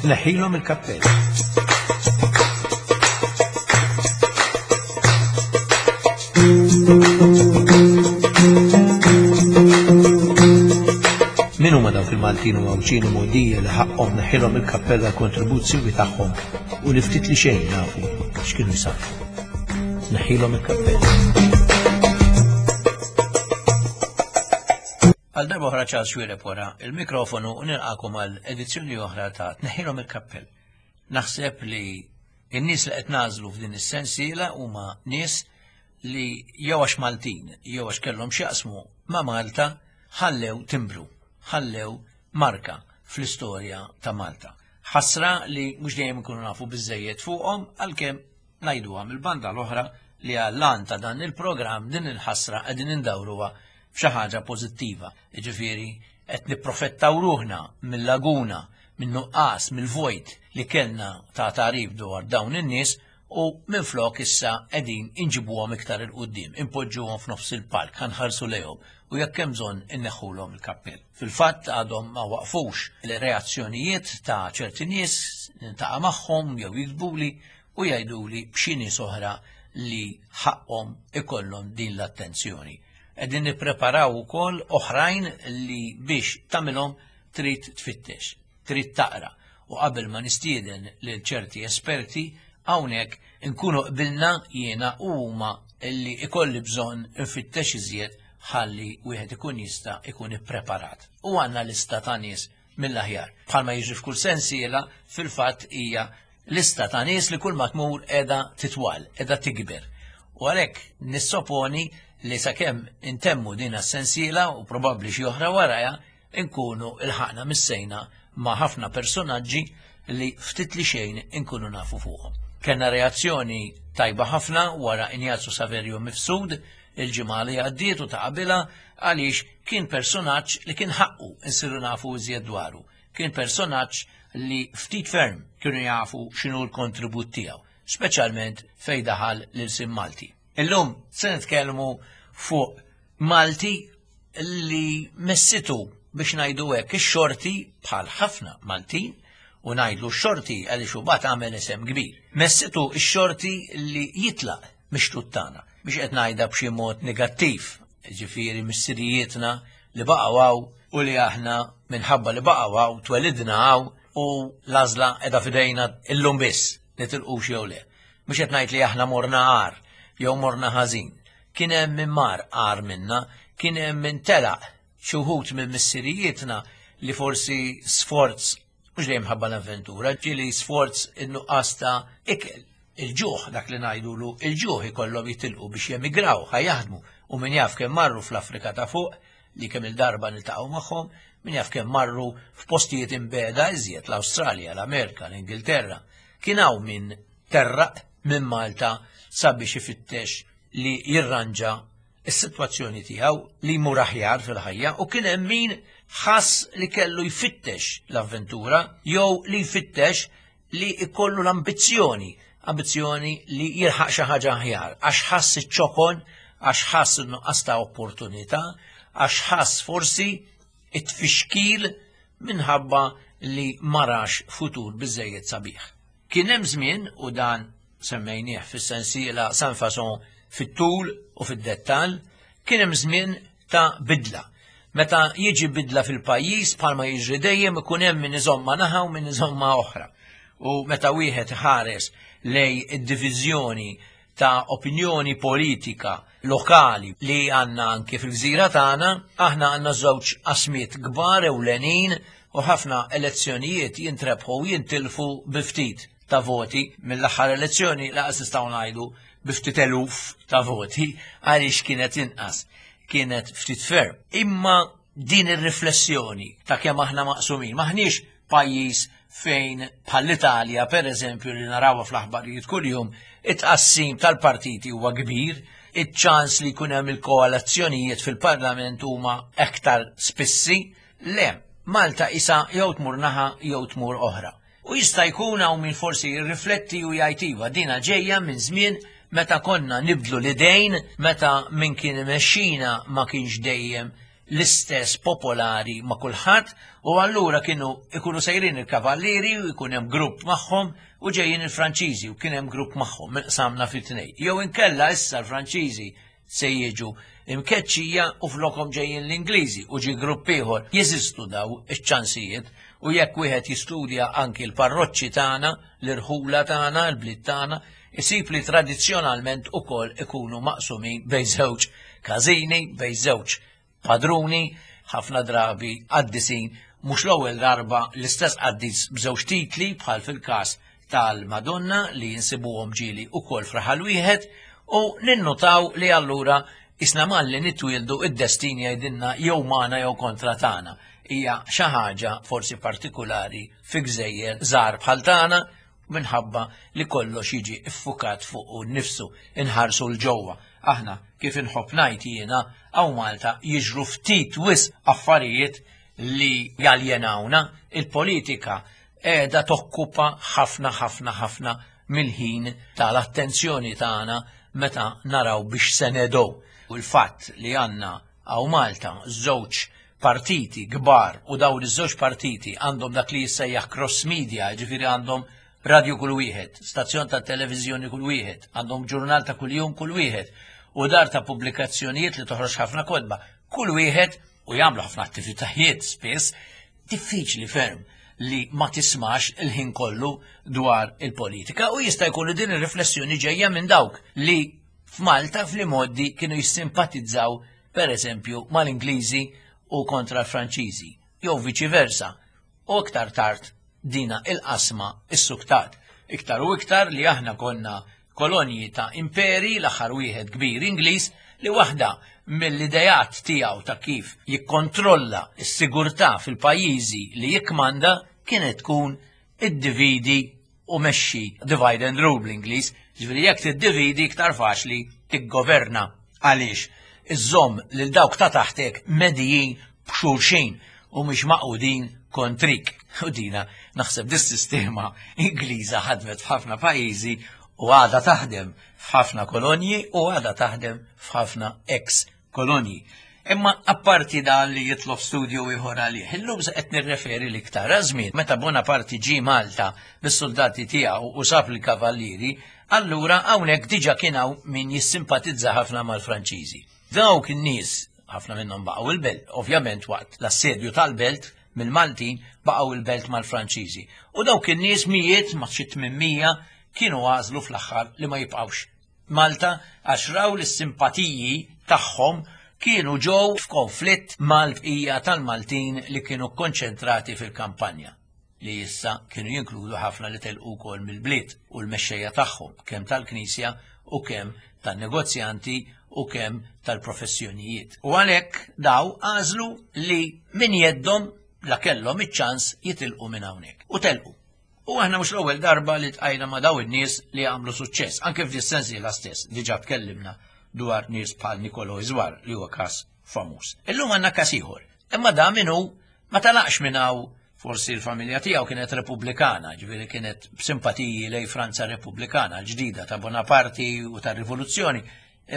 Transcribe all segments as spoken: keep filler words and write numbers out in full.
Tneħħilhom il-kappell. Min huma dawk il-Maltin u Għawdxin u Mogħdija li ħaqqhom neħħilhom il-kappell għall-kontribuzzjoni tagħhom u li ftit li xejn nafu x'kienu jsarrfu. Neħħilhom il-kappell. Għal darba oħra Charles Xuereb wara il-mikrofonu u nilqakom għal edizzjoni oħra ta' Tneħħilhom il-kappell. Naħseb li n-nies li qed nażlu f'din is-sensiela huma nies li jew għax Maltin jew għax kellhom x'jaqsmu ma' Malta ħallew timbru, ħallew marka fl-istorja ta' Malta. Ħasra li mhux dejjem ikunu nafu biżejjed fuqhom għalkemm ngħiduha mill-banda l-oħra li għall-għan ta' dan il-programm din il-ħasra qegħdin indawruha f'xi ħaġa pożittiva. Jiġifieri qed nipprofettaw ruħna mill-laguna, min-nuqqas, mill-vojt li kellna ta' tagħrif dwar dawn in-nies u minflok issa qegħdin inġibuhom iktar il quddiem, inpoġġuhom f'nofs il-palk, ħanħarsu lejhom u jekk hemm bżonn inneħħulhom il-kappell. Fil-fatt għadhom ma waqfux il-reazzjonijiet ta' ċerti nies nintaqa' magħhom jew jiktbuli u jgħiduli b'xi nies oħra li ħaqhom ikollhom din l-attenzjoni. Qegħdin nippreparaw ukoll oħrajn li biex tagħmilhom trid tfittex, trid taqra u qabel ma nistieden lil ċerti esperti hawnhekk inkunu qbilna jiena u huma li ikolli bżonn infittex iżjed ħalli wieħed ikun jista' ikun ippreparat. U għandna lista ta' nies mill-aħjar. Bħalma jiġri f'kull sensiela, fil-fatt hija lista ta' nies li kull ma tmur qiegħda titwal, qiegħda tikber. U għalhekk nissoponi li sakemm intemmu din is-sensiela u probabbli xi oħra warajha nkunu ilħaqna missejna ma' ħafna personaġġi li ftit li xejn inkunu nafu fuqhom. Kellna reazzjoni tajba ħafna wara Injazzu Saverio Mifsud il-ġimgħa li għaddiet u ta' qabilha għaliex kien personaġġ li kien ħaqqu nsiru nafu iżjed dwaru. Kien personaġġ li ftit ferm kienu jafu x'inhu l-kontribut tiegħu, speċjalment fejn daħal l-ilsien Malti. Illum se nitkellmu fuq Malti li messitu biex ngħidu hekk ix-xorti bħal ħafna Maltin u ngħidlu x-xorti għaliex hu bat għamel isem kbir. Messitu x-xorti li jitlaq mix-xtut tagħna biex qed ngħidha b'xi mod negattiv, ġifieri missirijietna li baqgħu hawn u li aħna minħabba li baqgħu hawn twelidna hawn u l-għażla qiegħda f'idejna illum biss nitilqux jew le. Mhux qed ngħid li aħna morna għar jew morna ħażin. Kien hemm min mar għar minna, kien hemm min telaq xi wħud minn missirijietna li forsi sforz mhux dejjem ħabba l-avventura, ġieli sforz in-nuqqas ta' ikel, il-ġuħ, dak li ngħidulu il-ġuħ ikollhom jitilqu biex jemigraw, ħa jaħdmu u min jaf kemm marru fl-Afrika ta' fuq li kemm il-darba niltaqgħu magħhom, min jaf kemm marru f'postijiet imbeda iżjed l-Awstralja, l-Amerika, l-Ingilterra. Kien hawn min terraq minn Malta sabiex ifittex li jirranġa is-sitwazzjoni tiegħu li jmur aħjar fil-ħajja u kien hemm min ħass li kellu jfittex l-avventura jew li jfittex li jkollu l-ambizzjoni, ambizzjoni li jilħaq xi ħaġa aħjar, għax ħass iċ-ċokon, għax ħass in-nuqqas ta' opportunità, għax ħass forsi it-tfixkil minħabba li ma rax futur biżejjed sabiħ. Kien hemm żmien, u dan semmejnieh fis-sensiela San Fason fit-tul u fid-dettall, kien hemm żmien ta' bidla. Meta jiġi bidla fil-pajjiż bħalma jiġri dejjem ikun hemm min iżomma naħa u min iżomma oħra. U meta wieħed ħares lej id-diviżjoni ta' opinjoni politika lokali li għandna anke fil-gżira tagħna, aħna għandna żewġ qasmiet kbar ewlenin u ħafna elezzjonijiet jintrebħu u jintilfu bi ftit ta' voti. Mill-aħħar elezzjoni laqas nistgħu ngħidu bi ftit eluf ta' voti għaliex kienet inqas, kienet ftit ferm. Imma din ir-riflessjoni ta' kemm aħna maqsumin, maħniex pajjiż fejn bħall-Italja per eżempju li narawha fl-aħbarijiet kuljum, it-tqassim tal-partiti huwa kbir, iċ-ċans li jkun hemm il-koalizzjonijiet fil-Parlament huma aktar spissi. Le, Malta isa jew tmur naħa jew tmur oħra. U jista' jkun hawn min forsi jirrifletti u jgħid iva dina ġejja minn żmien meta konna nibdlu l-idejn, meta min kien imexxina ma kienx dejjem l-istess popolari ma' kulħadd, u allura kienu ikunu sejrin il-kavallieri u jkun hemm grupp magħhom u ġejjin il-Franċiżi u kien hemm grupp magħhom qsamna fi tnejn. Jew inkella issa l-Franċiżi se jiġu imkeċċija u flokhom ġejjin l-Ingliżi u ġi grupp ieħor. Jeżistu daw iċ-ċansijiet, u jekk wieħed jistudja anki l-parroċċi tagħna, l-irħula tagħna, l-bliet tagħna, isib li tradizzjonalment ukoll ikunu maqsumin bejn żewġ każini, bejn żewġ padruni, ħafna drabi qaddisin, mhux l-ewwel darba l-istess qaddis b'żewġ titli bħal fil-każ tal-Madonna li jinsibuhom ġieli ukoll fraħal wieħed, u ninnotaw li allura isna malli nitwieldu id-destin jgħidilna jew magħna jew kontra tagħna. Hija xi ħaġa forsi partikulari fi gżejjer żgħar bħal tagħna, minħabba li kollox jiġi iffukat fuq nnifsu, inħarsu l-ġewwa. Aħna kif inħobb ngħid jiena hawn Malta jiġru ftit wisq affarijiet li jaljenawna. Il-politika qiegħda tokkupa ħafna ħafna ħafna mill-ħin tal-attenzjoni tagħna meta naraw biex se nedow. U l-fatt li għandna hawn Malta żewġ partiti kbar, u dawn iż-żewġ partiti għandhom dak li jissejjaħ cross media, ġifieri għandhom radio kull wieħed, stazzjon ta' televiżjoni kull wieħed, għandhom ġurnal ta' kuljum kull wieħed, u dar ta' pubblikazzjonijiet li toħroġ ħafna kotba kull wieħed, u jagħmlu ħafna attivitajiet spiss. Diffiċli ferm li ma tismax il-ħin kollu dwar il-politika, u jista' jkun din ir-riflessjoni ġejja minn dawk li f'Malta fl-imoddi kienu jissimpatizzaw per eżempju mal-Ingliżi u kontra l-Franċiżi, jew viċi versa, u iktar tard dina il-qasma is-suktat. Iktar u iktar li aħna konna kolonji ta' imperi, l-aħħar wieħed kbir Ingliż, li waħda mill-idejat tiegħu ta' kif jikkontrolla s-sigurtà fil-pajjiżi li jikkmanda kienet tkun iddividi u mexxi, divide and rule bl-Ingliż, ġifieri jekk tiddividi iktar faċli tiggoverna, għaliex iżżomm lil dawk ta' taħtek medijin b'xulxin u mhux maqudin kontrik. U dina naħseb dis-sistema Ingliża ħadmet f'ħafna pajjiżi u għadha taħdem f'ħafna kolonji u għadha taħdem f'ħafna ex kolonji. Imma apparti dan li jitlob studju ieħor għalih, illum se qed nirreferi l-iktar żmien meta Bonaparte ġie Malta bis-soldati tiegħu u sab il-kavallieri, allura hawnhekk diġà kien hawn min jissimpatizza ħafna mal-Franċiżi. Dawk in-nies, ħafna minnhom baqgħu il-belt, ovvjament waqt l-assedju tal-belt mill-Maltin baqgħu il-belt mal-Franċiżi. U dawk in-nies mijiet ma' xi tmien mija kienu għażlu fl-aħħar li ma jibqgħux Malta għax raw li s-simpatiji tagħhom kienu ġew f'konflitt mal-bqija tal-Maltin li kienu konċentrati fil-kampanja, li issa kienu jinkludu ħafna li telqu wkoll mill-bliet u l-mexxejja tagħhom, kemm tal-Knisja u kemm tan-negozjanti u kemm tal-professjonijiet. U għalhekk daw għażlu li min jeddhom la kellhom iċ-ċans jitilqu minn hawnhekk. U telqu. U aħna mhux l-ewwel darba li tqajna ma' daw in-nies li għamlu suċċess, anke f'dis-sensiela stess diġà tkellimna dwar nies bħal Nikolo Izwar li huwa każ famuż. Illum għandna każ ieħor. Imma da minnu ma talaqx minn hawn, forsi l-familja tiegħu kienet repubblikana, ġifieri kienet b'simpatiji lej Franza Repubblikana, l-ġdida ta' Bonaparte u tar-Rivoluzzjoni.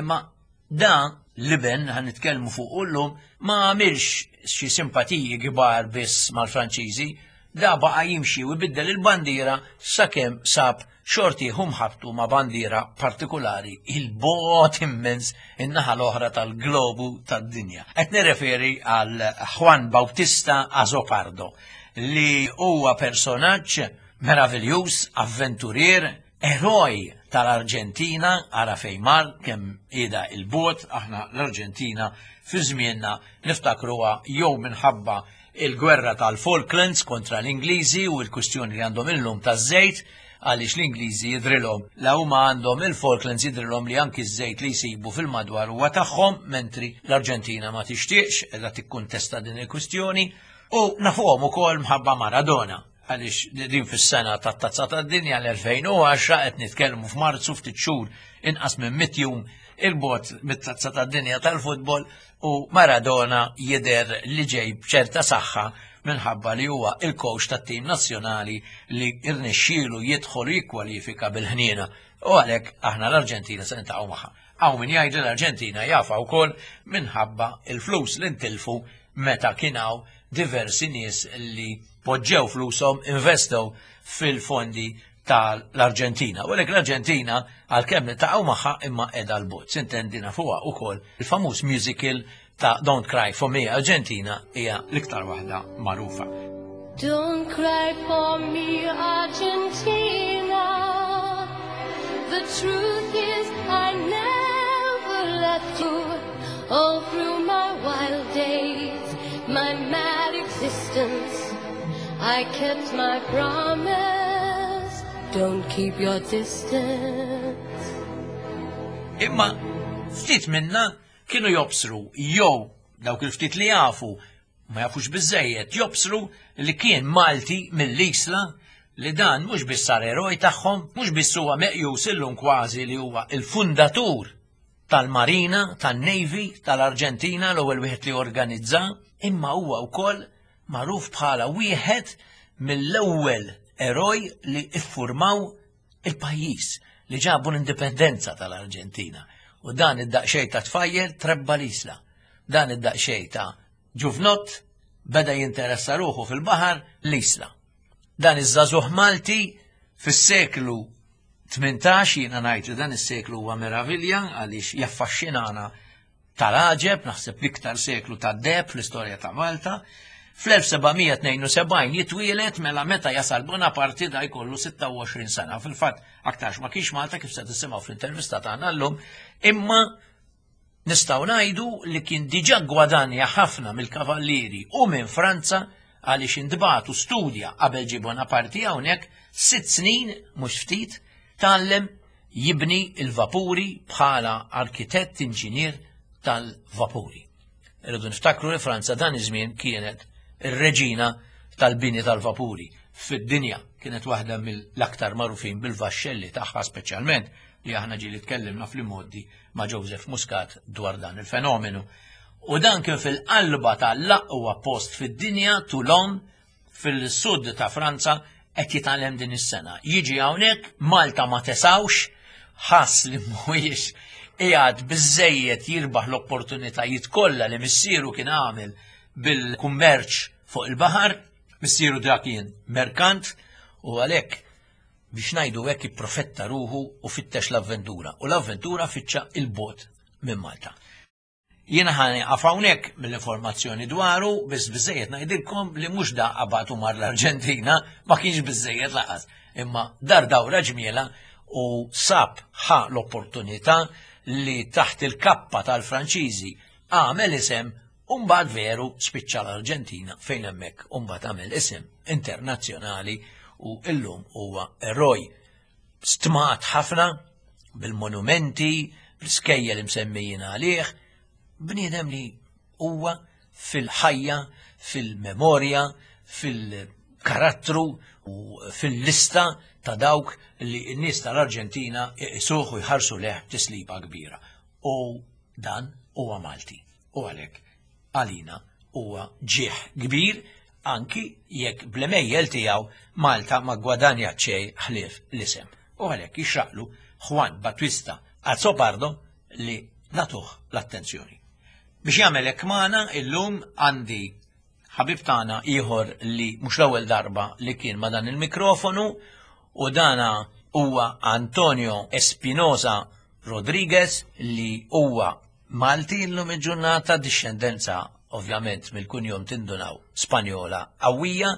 Imma da l-iben ħan nitkellmu fuq illum ma għamilx xi simpatiji kbar biss mal-Franċiżi, da baqa' jimxi u jbiddel il-bandiera sakemm sab xorti ħabtu ma' bandiera partikolari il-bot immens in-naħa l-oħra tal-globu tad-dinja. Qed nirreferi għal Juan Bautista Azopardo, li huwa personaġġ meraviljuż, avventurier, eroj tal-Arġentina, ara fejn mar kemm qiegħda il-bot, aħna l-Arġentina fi żmienna niftakruha jew minħabba il-gwerra tal-Falklands kontra l-Ingliżi u l-kwistjoni li għandhom illum taż-żejt, għaliex l-Ingliżi jidrilhom la huma għandhom il-Falklands, jidrilhom li anki ż-żejt li jsibu fil-madwar huwa tagħhom, mentri l-Arġentina ma tixtieqx, qiegħda tikkuntesta din il-kwistjoni, u nafuhom ukoll mħabba Maradona, għaliex din fis-sena tat-Tazza tad-Dinja l-elfejn u għaxra, qed nitkellmu f'Marzu, ftit xhur inqas minn mitt jum il-bot mit-Tazza tad-Dinja tal-futbol, u Maradona jidher li ġej b'ċerta saħħa minħabba li huwa il-coach tat-tim nazzjonali li rnexxielu jidħol u jikkwalifika bil-ħniena. U għalhekk aħna l-Arġentina se niltaqgħu magħha. Hawn min jgħid li l-Arġentina jafa wkoll minħabba il-flus li ntilfu meta kien hawn diversi nies li poġġew flushom, investew fil-fondi tal-Arġentina. U għalhekk l-Arġentina, għalkemm niltaqgħu magħha, imma qiegħda 'l bogħod. S'intendi nafuha ukoll, il-famuż musical ta' Don't Cry For Me Argentina hija l-iktar waħda magħrufa. Don't cry for me, Argentina. The truth is, I never left you. All through my wild days, my mad existence, I kept my promise. Don't keep your distance. Imma ftit minna kienu jobsru, jew dawk il-ftit li jafu ma jafux biżejjed, jobsru li kien Malti mill-Isla li dan mhux biss sar eroj tagħhom, mhux biss huwa meqjus illum kważi li huwa il-fundatur tal-Marina, tan-Navy, tal-Arġentina, l-ewwel wieħed li organizza, imma huwa wkoll magħruf bħala wieħed mill-ewwel eroj li iffurmaw il-pajjiż, li ġabu l-indipendenza tal-Arġentina. U dan id-daqxej ta' tfajjel trebba l-Isla. Dan id-daqxej ta' ġuvnott beda jinteressa ruħu fil-baħar l-Isla. Dan iż-żagħżugħ Malti fis-seklu tmintax, jiena ngħid li dan is-seklu huwa meravilja għaliex jaffaxxinana tal-għaġeb, naħseb l-iktar seklu ta' deheb fl-istorja ta' Malta. Fl-elf seba' mija tnejn u sebgħin jitwielet, mela meta jasal Bonaparte da jkollu sitta u għoxrin sena. Fil-fatt, aktarx ma kienx Malta, kif se tisimgħu fl-intervista tagħna llum, imma nistgħu ngħidu li kien diġà gwadanja ħafna mill-kavallieri u minn Franza, għaliex intbagħat u studja qabel ġie Bonaparte hawnhekk sitt snin, mhux ftit, tgħallem jibni il-vapuri bħala arkitett inġinier tal-vapuri. Irridu niftakru li Franza dan iż-żmien kienet ir-reġina tal-bini tal-vapuri fid-dinja, kienet waħda mill-aktar magħrufin bil-vaxxelli tagħha speċjalment, li aħna ġieli tkellimna fl-modi ma' Joseph Muscat dwar dan il-fenomenu. U dan kien fil-qalba tal-aqwa post fid-dinja, Toulon, fil-sud ta' Franza, qed jitgħallem din is-sena. Jiġi hawnhekk, Malta ma tesawx, ħass li mhuwiex qiegħed biżejjed jirbaħ l-opportunitajiet kollha li missieru kien għamel bil-kummerċ fuq il-baħar. Missieru dak kien merkant, u għalhekk, biex ngħidu hekk, ipprofetta ruħu u fittex l-avventura. U l-avventura fittxa 'l bogħod minn Malta. Jiena ħa nieqaf hawnhekk mill-informazzjoni dwaru, biss biżejjed ngħidilkom li mhux da qabad u mar l-Arġentina, ma kienx biżejjed lanqas. Imma dar dawra ġmiela u sab ħa l-opportunità li taħt il-kappa tal-Franċiżi għamel isem. Umbagħad veru spiċċa l-Arġentina, fejn hemmhekk umbagħad għamel isem internazzjonali u illum huwa eroj stmat ħafna bil-monumenti, bl-iskejjel imsemmijin għalih, bniedem li huwa fil-ħajja, fil-memorja, fil-karattru u fil-lista ta' dawk li n-nies tal-Arġentina iqisuh u jħarsu lejh tisliba kbira. U dan huwa Malti. U għalhekk għalina huwa ġieħ kbir, anki jekk bl-għemejjel tiegħu Malta ma gwadanja xejn ħlief l-isem. U għalhekk jixraqlu Juan Battista Azopardo li nagħtuh l-attenzjoni. Biex jagħmel hekk magħna illum għandi ħabib tagħna ieħor li mhux l-ewwel darba li kien ma' dan il-mikrofonu, u dana huwa Antonio Espinosa Rodriguez, li huwa Malti llum il-ġurnata, discendenza ovvjament mill-kunjom tindunaw Spanjola qawwija,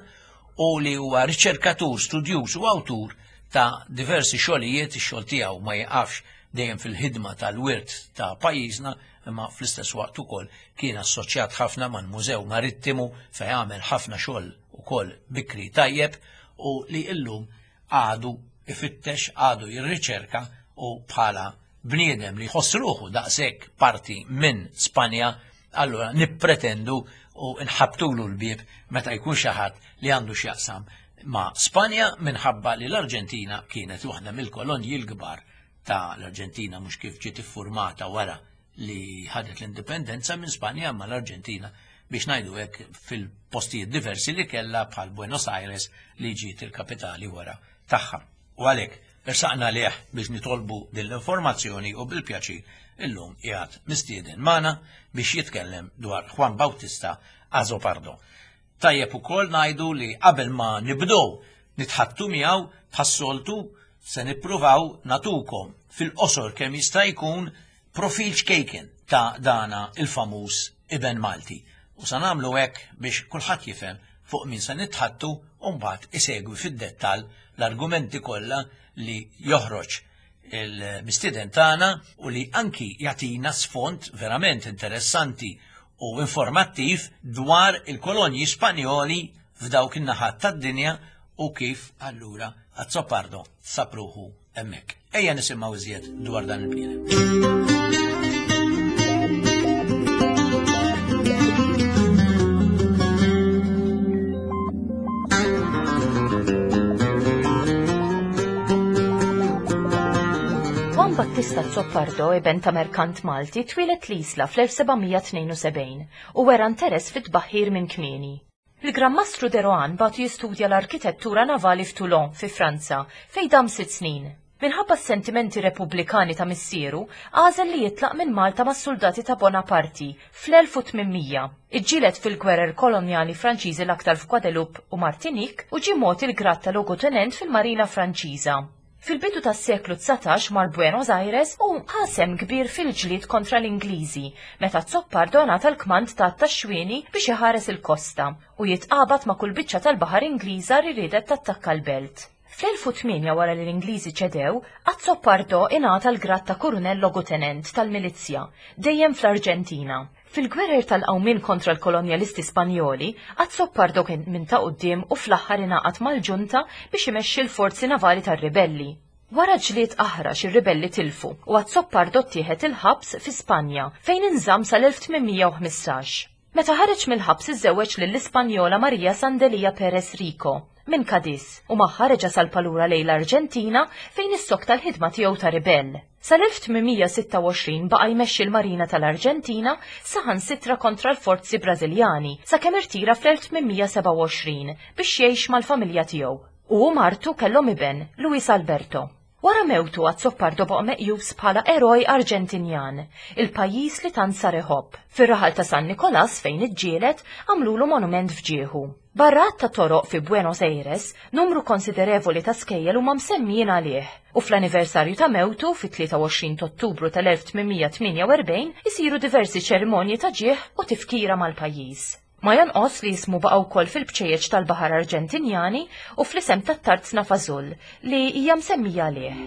u li huwa riċerkatur, studjuż u awtur ta' diversi xogħlijiet. Ix-xogħol tiegħu ma jiqafx, dejjem fil-ħidma tal-wirt ta' pajjiżna, imma fl-istess waqt ukoll kien assoċjat ħafna mal-Mużew Marittimu, fejn għamel ħafna xogħol ukoll bikri tajjeb, u li illum għadu ifittex, għadu jirriċerka, u bħala bniedem li jħoss ruħu daqshekk parti minn Spanja, allura nippretendu u nħabtulu l-bieb meta jkun xi ħadd li għandu x'jaqsam ma' Spanja, minħabba li l-Arġentina kienet waħda mill-kolonji l-kbar ta' l-Arġentina, mhux kif ġiet iffurmata wara li ħadet l-indipendenza minn Spanja, ma l-Arġentina, biex ngħidu hekk, fil-postijiet diversi li kellha bħal Buenos Aires li ġiet il-kapitali wara tagħha. U għalhekk Irsaqna lieh biex nitolbu din l-informazzjoni u bil-pjaċir illum qiegħed mistieden magħna biex jitkellem dwar Juan Bautista Azopardo. Tajjeb ukoll ngħidu li qabel ma nibdew nitħattu miegħu bħas-soltu se nippruvaw natukom fil-qosor kemm jista' jkun profil ċkejken ta' dana il-famuż iben Malti. U sa nagħmlu hekk biex kulħadd jifhem fuq min se nitħattu u mbagħad isegwi fid-dettall l-argumenti kollha li joħroġ il-mistieden tagħna u li anki jagħtina sfond verament interessanti u informattiv dwar il-kolonji Spanjoli f'dawk in-naħat tad-dinja u kif allura Azzopardo sapruħu hemmhekk. Ejja nisimgħu iżjed dwar dan il-bniedem. Juan Battista Azzopardo, iben ta' merkant Malti, twieled l-Isla fl-elf sebgħamija tnejn u sebgħin u wera interess fit-tbaħħir minn kmieni. Il-Gran Mastru de Rohan bagħtu jistudja l-arkitettura navali f'Toulon, fi Franza, fejn dam sitt snin. Minħabba s-sentimenti repubblikani ta' missieru, għażel li jitlaq minn Malta mas-soldati ta' Bonaparte fl-elf u tmien mija. Iġġieled fil-gwerer kolonjali Franċiżi l-aktar f'Guadeloupe u Martinique u ġie mogħti l-grad ta' logotenent fil-Marina Franċiża. Fil-bidu tas-seklu dsatax mar Buenos Aires u ħasem kbir fil-ġlied kontra l-Ingliżi, meta Azzopardo ngħata l-kmand ta' tax-xwieni biex iħares il-kosta u jitqabad ma' kull biċċa tal-baħar Ingliża li riedet tattakka l-belt. Fl-elf u tmienja wara li l-Ingliżi ċedew, Azzopardo ingħata l-grad ta' kurunell logotenent tal-milizzja, dejjem fl-Arġentina. Fil-gwerer tal-qawmien kontra l-kolonjalisti Spanjoli, Azzopardo kien minn ta' quddiem u fl-aħħar ingħaqad mal-ġunta biex imexxi l-forzi navali tar-ribelli. Wara ġlied aħrax ir-ribelli tilfu u Azzopardo ttieħed il-ħabs fi Spanja fejn inżamm sal-elf tmien mija u ħmistax. Meta ħareġ mill-ħabs iżżewweġ lill-Ispanjola Maria Sandelia Perez Rico minn Cadiz u magħha reġa' salpa lura lejn l-Arġentina fejn issokta l-ħidma tiegħu ta' ribell. Sal-elf tmien mija sitta u għoxrin baqa' jmexxi l-Marina tal-Arġentina saħansitra kontra l-forzi Brażiljani sakemm irtira fl-elf tmien mija sebgħa u għoxrin biex jgħix mal-familja tiegħu. U martu kellhom iben, Luis Alberto. Wara mewtu Azzopardo baqa' meqjus bħala eroj Arġentinjan, il-pajjiż li tant sar iħobb. Fir-raħal ta' San Nikolas fejn iġġieled għamlulu monument f'ġieħu. Barra ta' toroq fi Buenos Aires, numru konsiderevoli ta' skejjel huma msemmijin għalih. U fl-anniversarju ta' mewtu fit-tlieta u għoxrin ta' Ottubru tal-elf tmien mija tmienja u erbgħin isiru diversi ċerimonji ta' ġieħ u tifkira mal-pajjiż. Ma jonqos li jismu baqa' wkoll fil-bċejjeċ tal-Baħar Arġentinjani u fl-isem tat-Tarzna Fażul li hija msemmija għalih.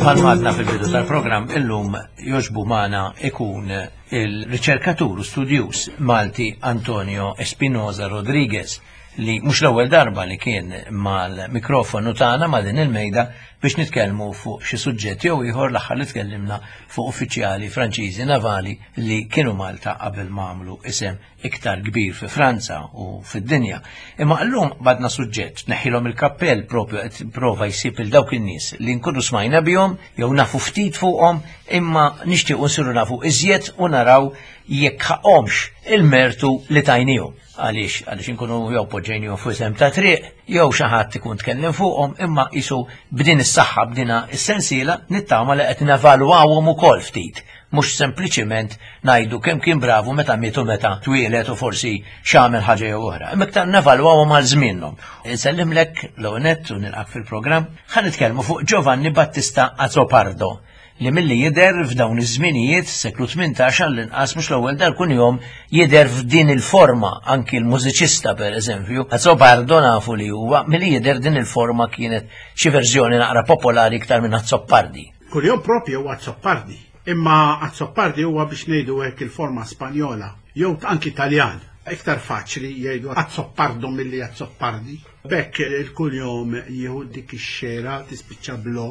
Bħalma għadna fil-bidu tal-programm, illum joġbu magħna ikun il-riċerkatur u studjuż Malti Antonio Espinosa Rodriguez, li mhux l-ewwel darba li kien mal-mikrofonu tagħna ma' din il-mejda biex nitkellmu fuq xi suġġett jew ieħor. L-aħħar li tkellimna fuq uffiċjali Franċiżi navali li kienu Malta qabel ma għamlu isem iktar kbir fi Franza u fid-dinja. Imma llum badna suġġett, neħilhom il-kappell propju qed prova jsib il dawk in-nies li nkunu smajna bihom jew nafu ftit fuqhom, imma nixtiequ nsiru nafu iżjed u naraw jekk ħaqhomx il-mertu li tajnihom. Għaliex? Għaliex inkunu jew poġġejnihom fuq isem ta' triq, jew xi ħadd ikun tkellem fuqhom, imma qisu b'din is-saħħa, b'dina is-sensiela nittama li qed nevalwawhom ukoll ftit. Mhux sempliċiment ngħidu kemm kien bravu meta mietu, meta twieled u forsi x'għamel ħaġa jew oħra. Imma iktar nevalwawhom għal żmienhom. Insellimlek l-ewwel u nilqak fil-programm. Ħa nitkellmu fuq Giovanni Battista Azzopardo, li milli jidher f'dawn iż-żminijiet seklu tmintax għall-inqas mhux l-ewwel dar kunjom jidher f'din il-forma, anki l-mużiċista pereżempju. Azzopardo nafu li huwa, milli jidher din il-forma kienet xi verżjoni naqra popolari iktar minn Azzopardi. Kunjom propju huwa Azzopardi, imma Azzopardi huwa biex ngħidu hekk il-forma Spanjola jew anki Taljan. Iktar faċli jgħidu Azzopardo milli Azzopardi. Bekk il-kunjom jieħu dik ix-xera tispiċċa blo.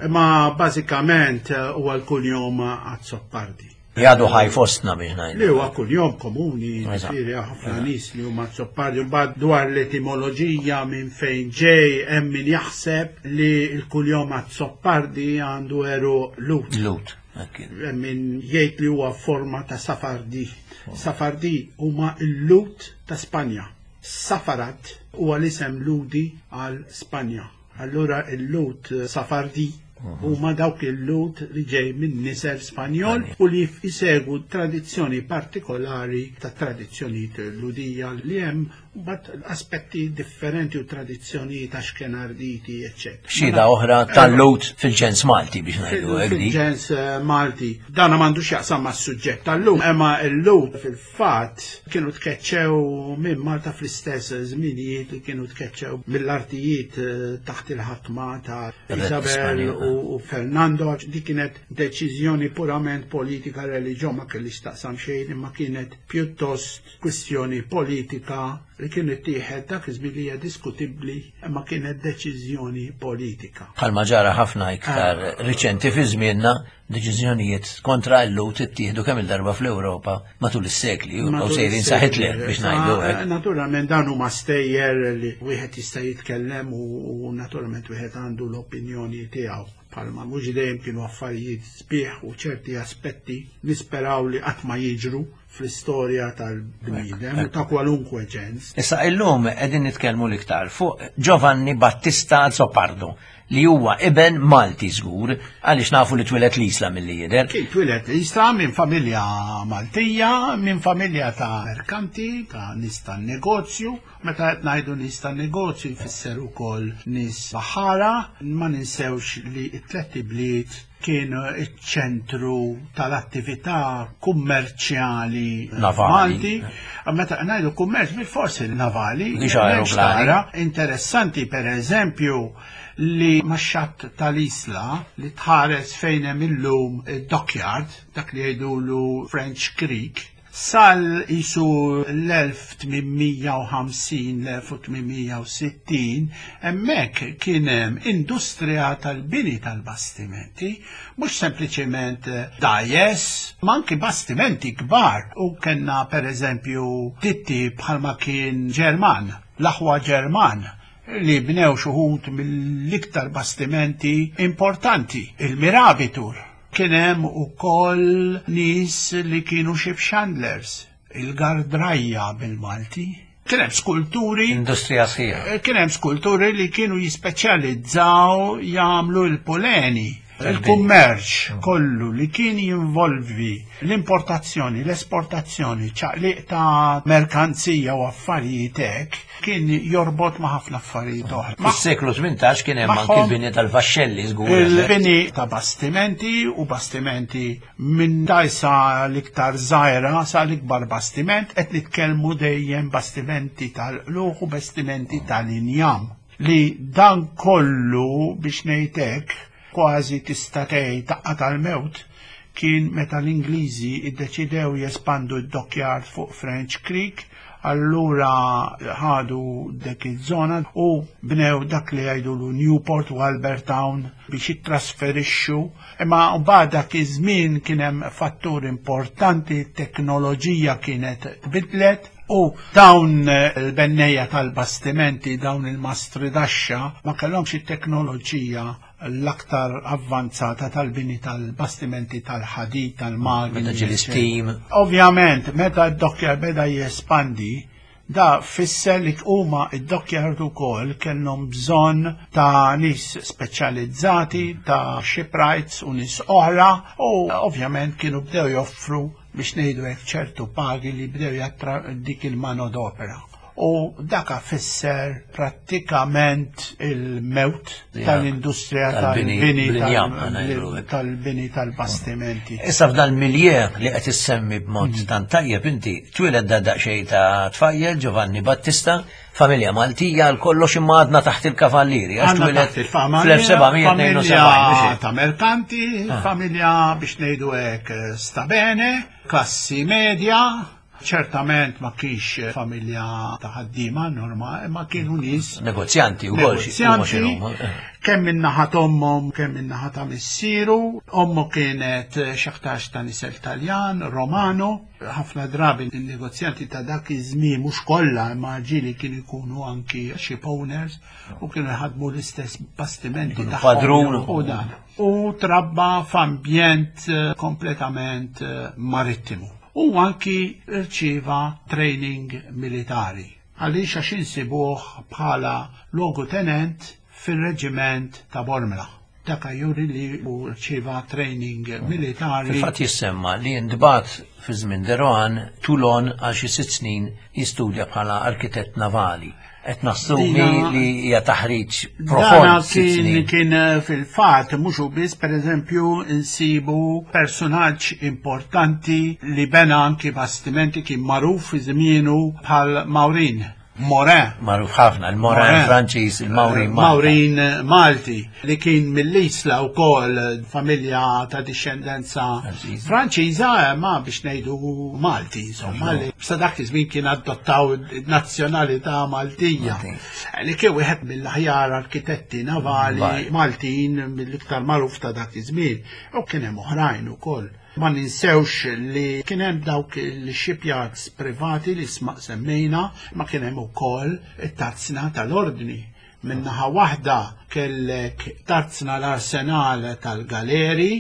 Imma bażikament huwa l-kunjom Azzopardi. Li għadu ħaj fostna biex ngħidu. Li huwa kunjom komuni, ġifieri ħafna nies li huma Azzopardi. Mbagħad dwar l-etimoloġija minn fejn ġej, hemm min jaħseb li l-kunjom Azzopardi għandu għeruq Lhud. Lhud. Hemm min jgħid li huwa forma ta' Safardi. Safardi huma l-Lhud ta' Spanja. Safarat huwa l-isem Lhudi għal Spanja. Allura l-Lhud Safardi huma dawk il-Lhud li ġej minn nisel Spanjol u li jsegwu tradizzjoni partikolari ta' tradizzjonijiet Lhudija li hemm mbagħad aspetti differenti u tradizzjonijiet Ashkenarditi, eċċetera. Xhieda oħra tal-Lhud fil-ġens Malti biex ngħidu hekk. Fil-ġens Malti. Dan m'għandux x'jaqsam mas-suġġett tal-lum, imma l-Lhud fil-fatt kienu tkeċċew minn Malta fl-istess żminijiet li kienu tkeċċew mill-artijiet taħt il-ħakma ta' Isabel u Fernando. Di kienet deċiżjoni purament politika, reliġjon ma kellix taqsam xejn, imma kienet pjuttost kwistjoni politika li kienet tieħed dak iż-żmien li hija diskutibbli, imma kienet deċiżjoni politika. Bħalma ġara ħafna iktar riċenti fi żmienna, deċiżjonijiet kontra l-Lhud ittieħdu kemm il-darba fl-Ewropa matul is-sekli, u sejrin sa Hitler biex ngħidu hekk. Naturalment dan huma stejjer li wieħed jista' jitkellem u naturalment wieħed għandu l-opinjoni tiegħu. Palma mhux dejjem kienu affarijiet sbieħ u ċerti aspetti nisperaw li qatt ma jiġru fl-istorja tal-bniedem u ta' kwalunkwe ġens. Issa illum qegħdin nitkellmu l-iktar fuq Giovanni Battista Azzopardo, li huwa iben Malti żgur, għaliex nafu li twieled l-Isla milli jidher. Kien twieled l-Isla minn familja Maltija, minn familja ta' merkanti, ta' nies tan-negozju. Meta qed ngħidu nies tan-negozju jfisser ukoll nies baħara. Ma ninsewx li t-tliet ibliet kien iċ-ċentru tal-attività kummerċjali Malti. Meta ngħidu kummerċ bil-forsi navali. Interessanti per eżempju li max-xatt tal-Isla li tħares fejn hemm illum id-dockyard, dak li jgħidulu French Creek, sal isu l-elf tmien mija u ħamsin, l-elf tmien mija u sittin, hemmhekk kien hemm industrija tal-bini tal-bastimenti, mhux sempliċement dgħajjes, ma anki bastimenti kbar. U kellna per eżempju ditti bħalma kien Ġerman, l-aħwa Ġerman, li bnew xi wħud mill-iktar bastimenti importanti, il-Mirabitur. Kien hemm ukoll nies li kienu ship chandlers, il-gardrajja bil-Malti. Kien hemm skulturi. Industrija sħiħa. Kien hemm skulturi li kienu jispeċjalizzaw jagħmlu l-poleni. Il-kummerċ kollu li kien jinvolvi l-importazzjoni, l-esportazzjoni, ċaqliq ta' merkanzija u affarijiet hekk, kien jorbot ma' ħafna affarijiet oħra. Fis-seklu tmintax kien hemm anki l-bini tal-vaxxelli żgur. Il-bini ta' bastimenti u bastimenti minn dgħajsa l-iktar żgħira sa l-ikbar bastiment, qed nitkellmu dejjem bastimenti tal-qluħ u bastimenti tal-injam. Li dan kollu biex ngħidlek kważi tista' tgħid daqqa tal-mewt kien meta l-Ingliżi iddeċidew jespandu d-dockyard fuq French Creek, allura ħadu dik iż-żona u bnew dak li jgħidulu Newport u Albertown biex jittrasferixxu. Imma mbagħad dak iż-żmien kien hemm fattur importanti, t-teknoloġija kienet tbidlet u dawn il-bennejja tal-bastimenti, dawn il-mastri daxxa, ma kellhomx it-teknoloġija l-aktar avvanzata tal-bini tal-bastimenti tal-ħadid, tal-magni. Meta ġie l-steam. Ovvjament, meta d-dockyard beda jespandi, da fisser li huma id-dockyard ukoll kellhom bżonn ta' nies speċjalizzati, ta' shipwrights u nies oħra, u ovvjament kienu bdew joffru biex ngħidu hekk ċertu pagi li bdew jattra dik il-manodopera. U daka fisser prattikament il-mewt tal-industrija tal-bini tal-bini tal-bastimenti. Issa f'dan milieu li qed issemmi b'mod tant tajjeb inti twieled da daqsxejn ta' tfajjel Giovanni Battista, familja Maltija għal kollox imma għadna taħt il-kavallieri, għax twieled fl-elf seba' mija tnejn u sebgħin. Ta' merkanti, familja biex ngħidu hekk stabene, klassi medja, Ċertament ma kienx familja ta' ħaddiema norma, imma kienu nies Negozjanti u kol, negozjanti, kemm min-naħa t'ommhom, kemm min-naħa ta' missieru. Ommu kienet x'aktarx ta' nisel Taljan, Romano. Ħafna drabi il-negozjanti ta' dak iż-żmien, mhux kollha, imma ġieli kienu jkunu anki ship owners u kienu jħadmu l-istess bastimenti Kienu tagħhom padrun. U dan. U trabba f'ambjent eh, kompletament eh, marittimu. U anki rċieva training militari. Għaliex? Għax insibuh bħala logu tenent fil-reġiment ta' Bormla. Dak juri li u rċieva training militari. Fil-fatt jissemma li ntbagħat fi żmien de Rohan Toulon għal xi sitt snin jistudja bħala arkitett navali. Qed nassumi Dina- li hija taħriġ Dana profond, sitt kien snin. Kien eh, fil-fat mhux biss, per eżempju, insibu personaġġ importanti li bena anki bastimenti, kien magħruf fi żmienu, bħal Maurin Morin. Magħruf ħafna, il-Morin Morin. Franċiż, il-Maurin Malta. Maurin Malti, li kien mill-Isla u kol familja ta' discendenza Franċiża. Franċiża, ma biex ngħidu Malti, insomma, li sa dak iż-żmien kien adottaw nazzjonalità Maltija. Malti. Li kien wieħed mill-aħjar arkitetti navali Vali. Maltin, mill-iktar magħruf ta' dak iż-żmien. U kien hemm oħrajn ukoll. Ma ninsewx li kien hemm dawk il-shipyards privati li sma semmejna, ma kien hemm ukoll it-tarzna tal-ordni. Minnaħa waħda kellek tarzna l-arsenal tal-galeri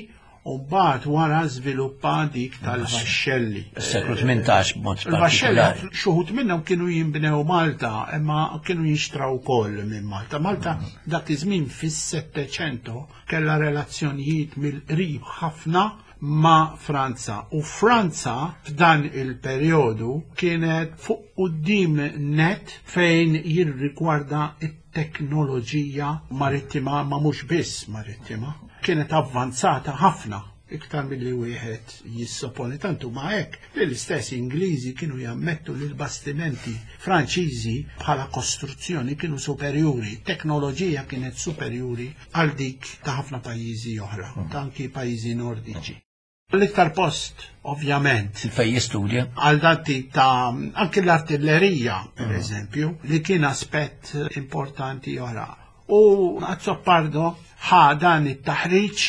u mbagħad wara żviluppa dik tal-vaxxelli. Is-seklu tmintax b'mod Il-vaxxelli partikolari. xi wħud minnhom kienu jinbnew Malta, imma kienu jinxtraw ukoll minn Malta. Malta dak iż-żmien fis-Settecento kellha relazzjonijiet mill-qrib ħafna ma' Franza. U Franza f'dan il-perjodu kienet fuq quddiem net fejn jirrigwarda it-teknoloġija marittima, ma mhux biss marittima. Kienet avvanzata ħafna iktar milli wieħed jissoponi, tantu ma hekk li l-istess Ingliżi kienu jammettu li l-bastimenti Franċiżi bħala kostruzzjoni kienu superjuri, teknoloġija kienet superjuri għal dik ta' ħafna pajjiżi oħra, ta' anki pajjiżi nordiċi. L-iktar post, ovvjament, Fej jistudja. għal dan tip ta' anki l-artillerija, per eżempju, li kien aspett importanti oħra. U Azzopardo ħa dan it-taħriġ,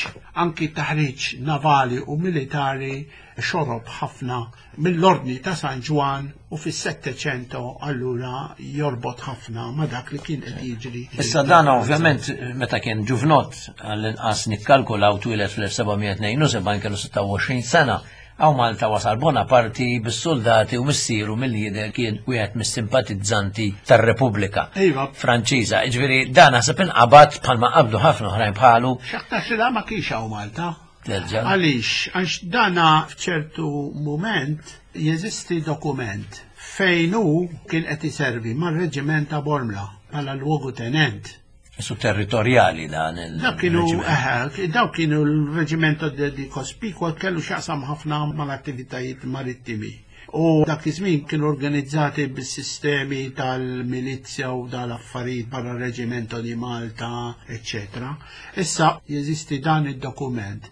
anki taħriġ navali u militari, xorob ħafna mill-ordni ta' San Ġwan u fis-Settecento allura jorbot ħafna ma' dak li kien qed jiġri. Issa dan ovvjament meta kien ġuvnot, għall-inqas nikkalkulaw twieled fl-elf seba' mija tnejn u sebgħin, kellu sitta u għoxrin sena. Hawn Malta wasal Bonaparte bis-soldati u missieru mill-lider kien wieħed mis-simpatizzanti tar-Repubblika Iva. Franċiża. Ġifieri dan naħseb inqabad bħalma qabdu ħafna oħrajn bħalu. X'aktarx li da ma kienx hawn Malta. Terġa'. Għaliex? Għax dana f'ċertu moment jeżisti dokument fejn hu kien qed iservi mar-reġiment ta' Bormla bħala luogu tenent. Su territorjali dan il Dak kienu, eh, daw kienu l-reġimento di di Cospicua, kellu x'jaqsam ħafna mal-attivitajiet marittimi. U dak iż-żmien kienu organizzati bis-sistemi tal-milizja u dal-affarijiet barra reġimento di Malta, eccetera. Issa jeżisti dan id-dokument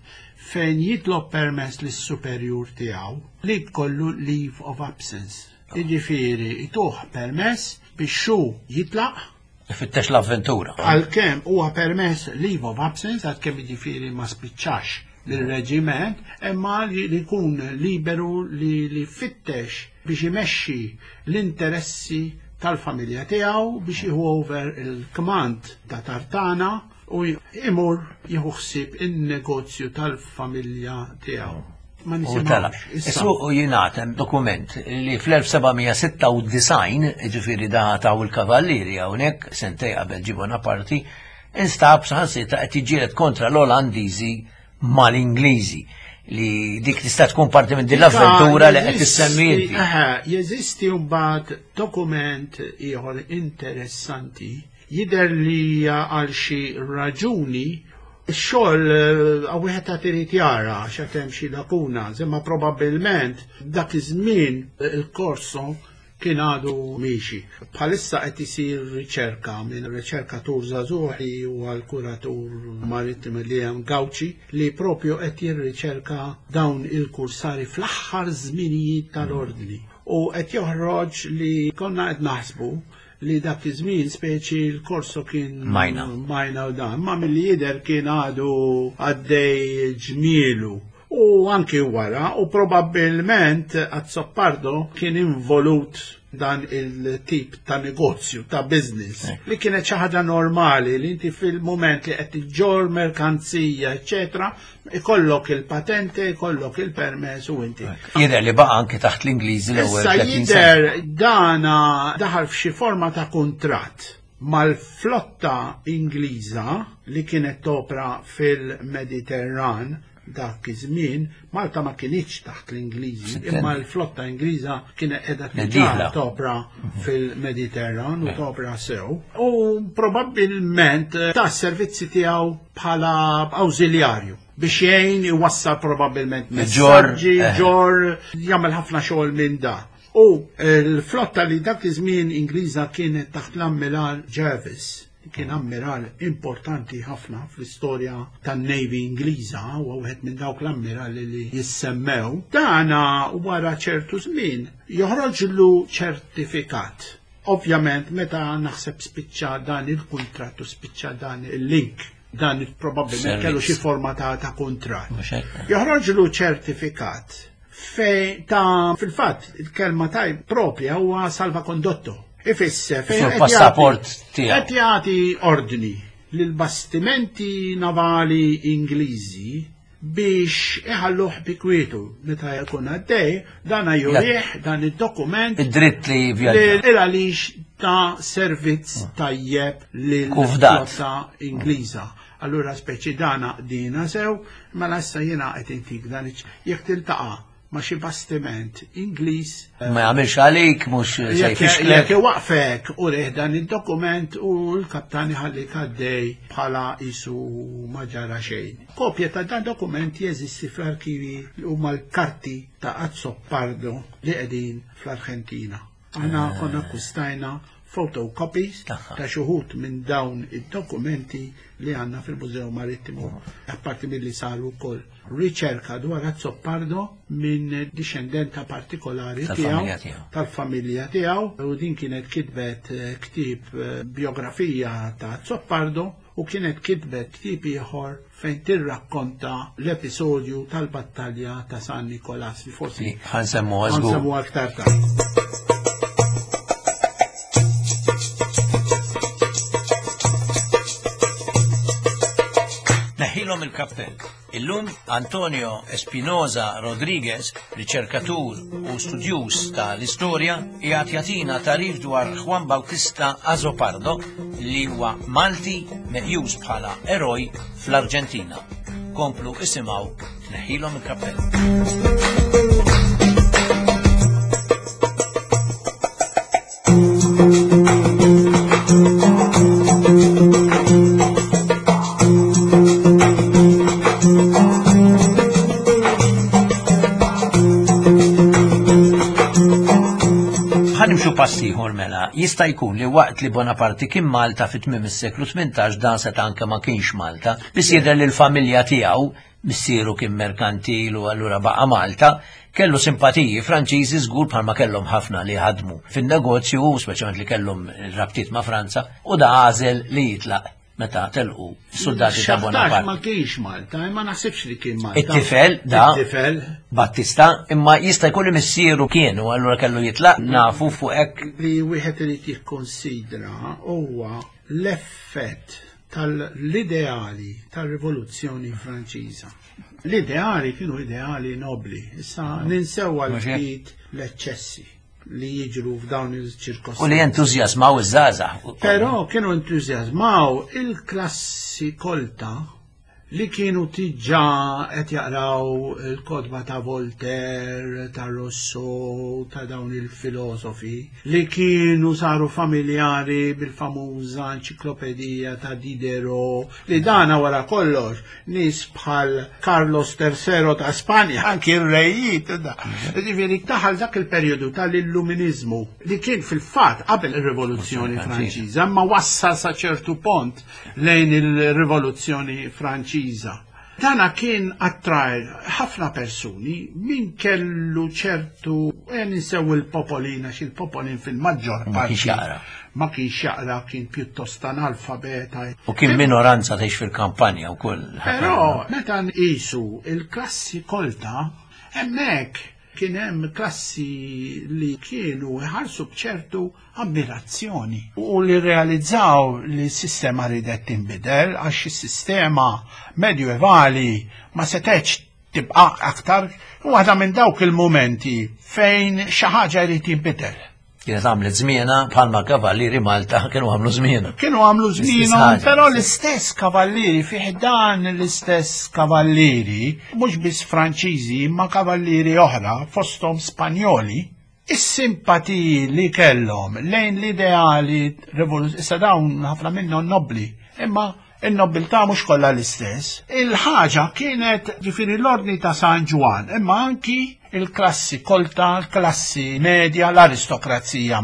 fejn jitlob permess lis-superjur tiegħu li jkollu leave of absence. Jiġifieri ituh permess biex hu jitlaq Ifittex l-avventura. Għalkemm huwa permess leave of absence, għalkemm jiġifieri ma spiċċax bil-reġiment, imma li li jkun liberu li li fittex biex imexxi l-interessi tal-familja tiegħu, biex jieħu over il-command ta' Tartana u imur jieħu ħsieb in-negozju tal-familja tiegħu. Ma U tela. nisimgħux. Issa, Issu u jingħad hemm dokument li fl-elf seba' mija sitta u disgħin, ġifieri da taw il-kavallieri hawnhekk sentej qabel ġie Bonaparte, instab saħansitra qed jiġġieled kontra l-Olandiżi mal-Ingliżi, li dik tista' tkun parti minn din l-avventura li qed tissemmi inti. Eħe, jeżisti mbagħad dokument ieħor interessanti, jidher li għal xi raġuni ix-xogħol eh, wieħed ta' trid jara x'qed hemm xi lakuna, imma probabbilment dak iż-żmien il-korso kien għadu miexi. Bħalissa qed isir riċerka minn riċerkatur żagħżugħ u għal-kuratur marittim li hemm Gauci, li propju qed jirriċerka dawn il-kursari fl-aħħar żminijiet tal-ordni. U qed joħroġ li konna qed naħsbu li dak iż-żmien speċi l-korso kien Majna. Majna u dan, ma milli jidher kien għadu għaddej ġmielu. U anki wara, u probabbilment Azzopardo kien involut dan il-tip ta' negozju, ta' business, li kienet xi ħaġa normali li inti fil-moment li qed iġġor merkanzija, eċetera, ikollok il-patente, ikollok il-permess u inti. Jidher li baqa' anki taħt l-Ingliżi l-ewwel Issa tletin sena. jidher dana daħal f'xi forma ta' kuntratt mal-flotta Ingliża li kienet topra fil-Mediterran dak iż-żmien, Malta ma kinitx taħt l-Ingliżi, imma l-flotta Ingliża kienet qiegħda diġà Dieħla. topra fil-Mediterran u topra sew. U probabbilment eh, ta' servizzi tiegħu bħala awżiljarju biex jgħin iwassal probabbilment Ġor, messaġġi, eh. ġor, jagħmel ħafna xogħol minn da. U l-flotta li dak iż-żmien Ingliża kienet taħt l-Ammiral Jervis, kien ammiral importanti ħafna fl-istorja tan-Navy Ingliża, u wieħed minn dawk l-ammirali li jissemmew. Dana wara ċertu żmien joħroġlu ċertifikat. Ovvjament meta naħseb spiċċa dan il-kuntratt u spiċċa dan il-link, dan il- probabbilment kellu xi forma ta' ta' kuntratt. Mhux hekk? Joħroġlu ċertifikat fej ta' fil-fatt il-kelma taj propja huwa salvacondotto. Ifisser fejn Sul qed passaport jagħti- tiegħu. Qed jagħti ordni lil bastimenti navali Ingliżi biex iħalluh bi kwietu meta jkun għaddej, dan jurih dan id-dokument Id-dritt li vjaġġa. li għaliex ta' servizz tajjeb lil Kufdat. flotta Ingliża. Allura speċi dana dina sew, mela issa jiena qed intik dan iċ- jekk tiltaqa' ma' xi bastiment Ingliż Ma jagħmilx għalik, mhux se jekk jfixklek. jekk iwaqfek u rih dan id-dokument u l-kaptan iħallik għaddej bħala isu ma ġara xejn. Kopja ta' dan dokument jeżisti fl-arkivi huma l-karti ta' Azzopardo li qegħdin fl-Arġentina. Aħna konna akkustajna photocopies Tagħha. ta' xuħut minn dawn id-dokumenti li għandna fil-Mużew Marittimu. Apparti milli saru wkoll riċerka dwar Azzopardo minn discendenta partikolari Tal-familja tiegħu tiegħu. tal-familja tiegħu u din kienet kitbet eh, ktieb eh, biografija ta' Azzopardo u kienet kitbet ktieb ieħor fejn tirrakkonta l-episodju tal-battalja ta' San Nikolas li forsi Li ħansemmu żgur. ħansemmu aktar tard. Neħilhom il-kappell. Illum Antonio Espinosa Rodriguez, riċerkatur u studjuż tal-istorja, qiegħed jagħtina tarif dwar Juan Bautista Azopardo li huwa Malti meqjus bħala eroj fl-Arġentina. Komplu isimgħu Neħilhom il-kappell. Ħanimxu pass ieħor mela, jista' jkun li waqt li Bonaparte kien Malta fi tmiem is-seklu tmintax dan seta' anke ma kienx Malta, biss jidher li l-familja tiegħu, missieru kien merkantil u allura baqa' Malta, kellu simpatiji Franċiżi żgur bħalma kellhom ħafna li ħadmu fin-negozju, speċjalment li kellhom rabtiet ma' Franza, u da għażel li jitlaq meta telqu s-soldati ta' X'aktarx Bonaparte. ma kienx Malta, imma naħsibx li kien Malta. It-tifel da It-tifel Battista, imma jista' jkun li missieru kien u allura kellu jitlaq nafu fuq hekk li wieħed irid jikkonsidra huwa l-effett tal-ideali tal-Rivoluzzjoni Franċiża. L-ideali kienu ideali nobli, issa ninsew għal Mhux hekk? ftit l-eċċessi li jiġru f'dawn il-ċirkostanzi. U li entużjażmaw iż-żgħażagħ. Però kienu entużjażmaw il-klassi kolta li kienu tiġa qed jaqraw il-kotba ta' Voltaire, ta' Rousseau, ta' dawn il-filosofi, li kienu saru familjari bil-famuża enċiklopedija ta' Diderot, li dana wara kollox nies bħal Carlos terzo ta' Spanja, anki r-rejiet, da. Ġifieri taħal dak il-perjodu tal-illuminizmu li kien fil-fatt qabel ir-Rivoluzzjoni Franċiża, imma wassal sa ċertu pont lejn il-Rivoluzzjoni Franċiża. Dana kien attraj ħafna persuni min kellu ċertu, e ninsew il-popolina, xil-popolin fil-maġġor Ma kienx parti. jaqra. Ma kienx jaqra, kien pjuttost analfabeta. U kien minoranza tgħix fil-kampanja wkoll. Però meta nqisu il-klassi kolta, hemmhekk kien hemm klassi li kienu iħarsu b'ċertu ammirazzjoni u li realizzaw li s-sistema ridet tinbidel għax is-sistema medjuevali ma setgħetx tibqa' aktar u waħda minn dawk il-momenti fejn xi ħaġa jrid jinbidel. Kienet għamlet żmiena bħalma kavallieri Malta kienu għamlu żmiena. Kienu għamlu L-istess żmienhom, ħaġa. però l-istess kavallieri, fi ħdan l-istess kavallieri, mhux biss Franċiżi, imma kavallieri oħra, fosthom Spanjoli, is-simpatiji li kellhom lejn l-ideali rivoluzzjoni, issa dawn ħafna minnhom nobli, imma in-nobiltà mhux kollha l-istess. Il-ħaġa kienet ġifieri l-ordni ta' San Ġwan, imma anki il-klassi kolta, l-klassi medja, l-aristokrazija.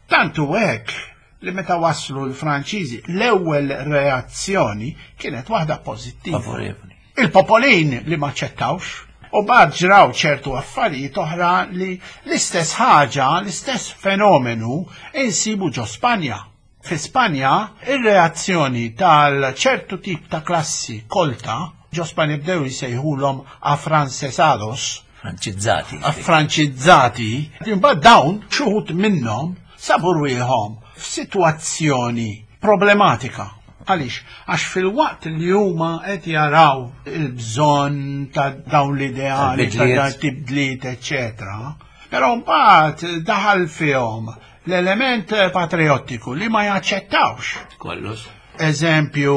Tantu hekk li meta waslu l-Franċiżi l-ewwel reazzjoni kienet waħda pożittiva. Favorevoli. Il-popolin li ma ċettawx u bad ġraw ċertu affarijiet oħra li l-istess ħaġa, l-istess fenomenu insibu ġo Spanja. Fi Spanja, ir-reazzjoni tal-ċertu tip ta' klassi kolta, ġo Spanja bdew jsejħulhom afrancesados, Franċizzati. affranċizzati, imbagħad dawn xi wħud minnhom sabu rwieħhom f'sitwazzjoni problematika. Għaliex, għax fil-waqt li huma qed jaraw il-bżonn ta' dawn l-ideali, ta' Tal-bidliet. dawn tibdliet, eċetera. Però mbagħad daħal fihom l-element patriottiku li ma jaċċettawx. Kollox. Eżempju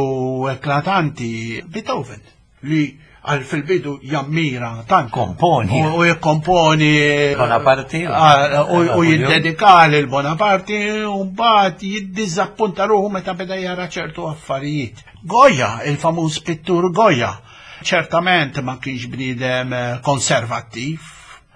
eklatanti, Beethoven, li għal fil-bidu jammira tant. Komponi. U, u jikkomponi. Bonaparte. Ah, U, u Napoleon. jiddedika lil Bonaparte u mbagħad jiddiżappunta ruħu meta beda jara ċertu affarijiet. Goya, il-famuż pittur Goya, ċertament ma kienx bniedem eh, konservattiv,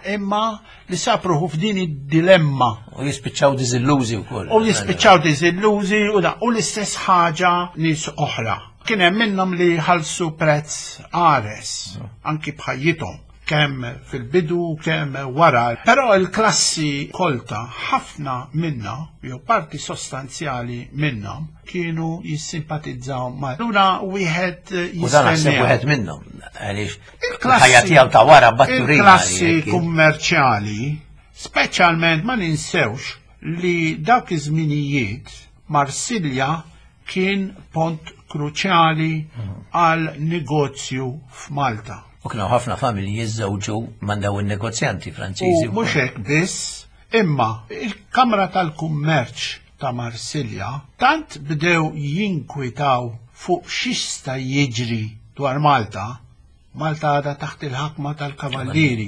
imma li sab ruħu f'din id-dilemma U jispiċċaw diżillużi wkoll. u jispiċċaw diżillużi u da u l-istess ħaġa nies oħra. Kien hemm minnhom li ħallsu prezz qares anki b'ħajjithom kemm fil-bidu kemm wara. Però il-klassi kolta ħafna minna, jew parti sostanzjali minnhom, kienu jissimpatizzaw ma' Lura wieħed U dan naħseb jistennew. wieħed minnhom. Għaliex Il-klassi- il-ħajja tiegħu ta' wara batturina. Il-klassi kummerċjali, speċjalment ma ninsewx li dawk iż-żminijiet Marsilja kien pont kruċjali għal negozju f'Malta. U kienu ħafna familji jiżżewġu man dawn in-negozjanti Franċiżi. U mhux hekk biss, imma il-Kamra tal-Kummerċ ta' Marsilja tant bdew jinkwitaw fuq x'jista' jiġri dwar Malta. Malta għadha taħt il-ħakma tal-kavallieri,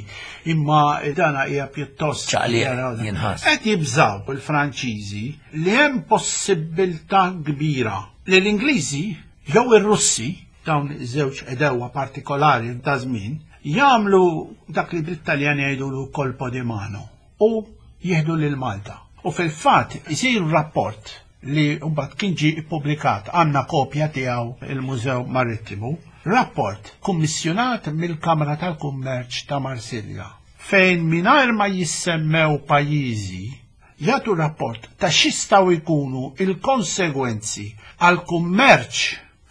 imma dana hija pjuttost Ċaqliq, jaraw dan. jinħass. Qed jibżaw il-Franċiżi li hemm possibilità kbira li l-Ingliżi jew ir-Russi, dawn iż-żewġ edewa partikolari ta' żmien, jagħmlu dak li bl-Italjan jgħidulu colpo di mano u jieħdu lil Malta. U fil-fatt isir rapport li mbagħad kien ġie ippubblikat, għandna kopja tiegħu il-Mużew Marittimu, rapport kummissjonat mill-Kamra tal-Kummerċ ta' Marsilja, fejn mingħajr ma jissemmew pajjiżi jagħtu rapport ta' x'jistgħu jkunu il-konsegwenzi għal kummerċ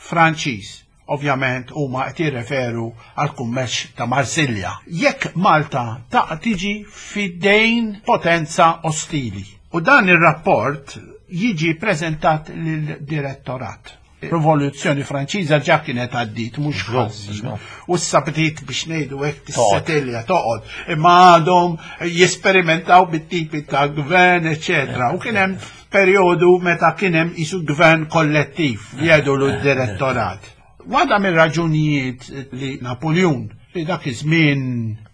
Franċiż. Ovvjament huma qed jirreferu għal kummerċ ta' Marsilja. Jekk Malta ta' tiġi fidejn potenza ostili. U dan ir-rapport jiġi preżentat lill-direttorat. Rivoluzzjoni Franċiża ġa kienet għaddit, mhux ħażin. U issa bdiet biex ngħidu hekk tissetilja toqgħod, imma għadhom jesperimentaw bit-tipi ta' gvern, eċetera. U kien hemm perjodu meta kien hemm isu gvern kollettiv li jgħidu d-direttorat. Waħda mir-raġunijiet li Napoleon li dak iż-żmien